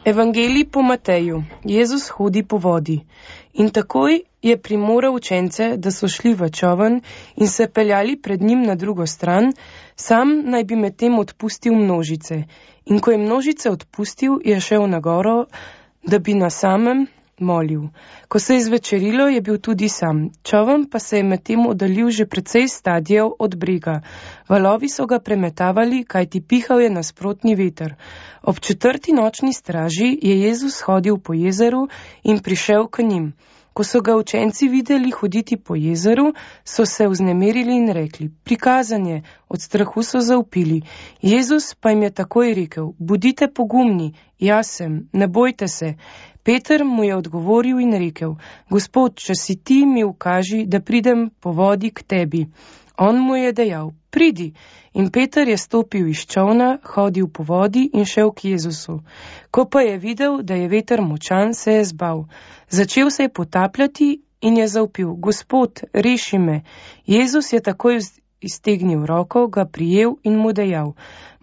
Evangelij po Mateju. Jezus hodi po vodi. In takoj je primoral učence, da so šli v čoln in se peljali pred njim na drugo stran, sam naj bi medtem odpustil množice. In ko je množice odpustil, je šel na goro, da bi na samem molil. Ko se je zvečerilo, je bil tudi sam. Čoln pa se je medtem oddaljil že precej stadijev od brega. Valovi so ga premetavali, kajti pihal je nasprotni veter. Ob 4. nočni straži je Jezus hodil po jezeru in prišel k njim. Ko so ga učenci videli hoditi po jezeru, so se vznemirili in rekli: prikazan je, od strahu so zavpili. Jezus pa jim je takoj rekel: bodite pogumni, jaz sem, ne bojte se. Peter mu je odgovoril in rekel: Gospod, če si ti, mi ukaži, da pridem po vodi k tebi. On mu je dejal: pridi. In Peter je stopil iz čolna, hodil po vodi in šel k Jezusu. Ko pa je videl, da je veter močan, se je zbal. Začel se je potapljati in je zavpil: Gospod, reši me. Jezus je takoj iztegnil roko, ga prijel in mu dejal: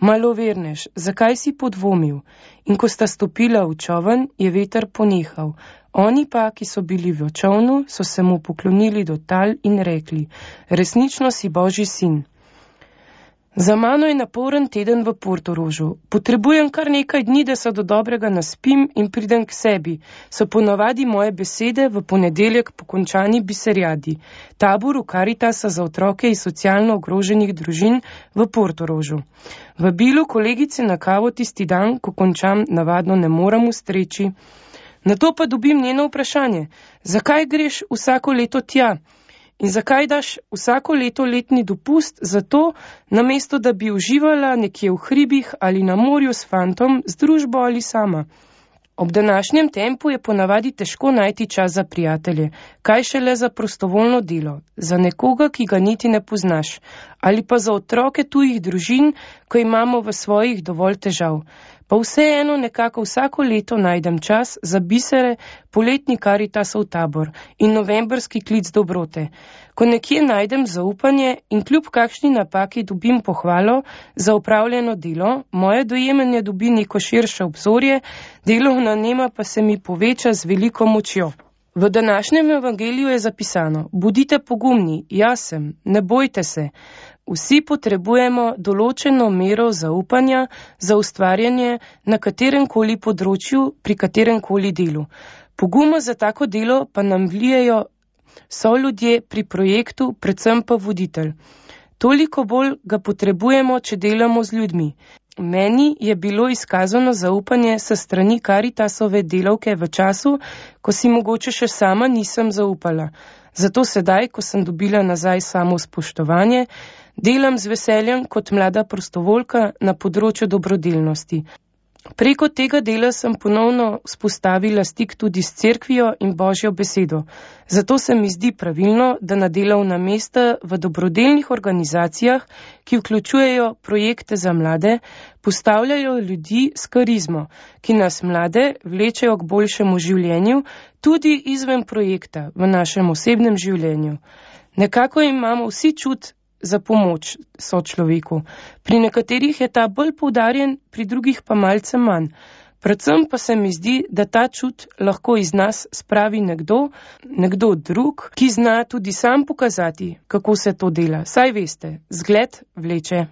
malovernež, zakaj si podvomil? In ko sta stopila v čoln, je veter ponehal. Oni pa, ki so bili v čolnu, so se mu poklonili do tal in rekli: resnično si Božji sin. Za mano je naporen teden v Portorožu. Potrebujem kar nekaj dni, da se do dobrega naspim in pridem k sebi. So ponavadi moje besede v ponedeljek po končani biserjadi. Taboru Karitasa za otroke iz socialno ogroženih družin v Portorožu. Vabilu kolegice na kavo tisti dan, ko končam, navadno ne moram ustreči. Nato pa dobim njeno vprašanje: zakaj greš vsako leto tja? In zakaj daš vsako leto letni dopust za to, namesto da bi uživala nekje v hribih ali na morju s fantom, z družbo ali sama? Ob današnjem tempu je ponavadi težko najti čas za prijatelje, kaj šele za prostovoljno delo, za nekoga, ki ga niti ne poznaš, ali pa za otroke tujih družin, ko imamo v svojih dovolj težav. Pa vseeno nekako vsako leto najdem čas za bisere, poletni Karitasov tabor in novembrski klic dobrote. Ko nekje najdem zaupanje in kljub kakšni napaki dobim pohvalo za opravljeno delo, moje dojemanje dobi neko širše obzorje, delovna nema pa se mi poveča z veliko močjo. V današnjem evangeliju je zapisano: bodite pogumni, jaz sem, ne bojte se. Vsi potrebujemo določeno mero zaupanja za ustvarjanje na kateremkoli področju, pri kateremkoli delu. Poguma za tako delo pa nam vlijejo soljudje pri projektu, predvsem pa voditelj. Toliko bolj ga potrebujemo, če delamo z ljudmi. Meni je bilo izkazano zaupanje sa strani Karitasove delavke v času, ko si mogoče še sama nisem zaupala. Zato sedaj, ko sem dobila nazaj samo spoštovanje, delam z veseljem kot mlada prostovoljka na področju dobrodelnosti. Preko tega dela sem ponovno vzpostavila stik tudi s cerkvijo in Božjo besedo. Zato se mi zdi pravilno, da na delovna mesta v dobrodelnih organizacijah, ki vključujejo projekte za mlade, postavljajo ljudi s karizmo, ki nas mlade vlečejo k boljšemu življenju, tudi izven projekta v našem osebnem življenju. Nekako imamo vsi čut za pomoč sočloveku. Pri nekaterih je ta bolj poudarjen, pri drugih pa malce manj. Predvsem pa se mi zdi, da ta čut lahko iz nas spravi nekdo drug, ki zna tudi sam pokazati, kako se to dela. Saj veste, zgled vleče.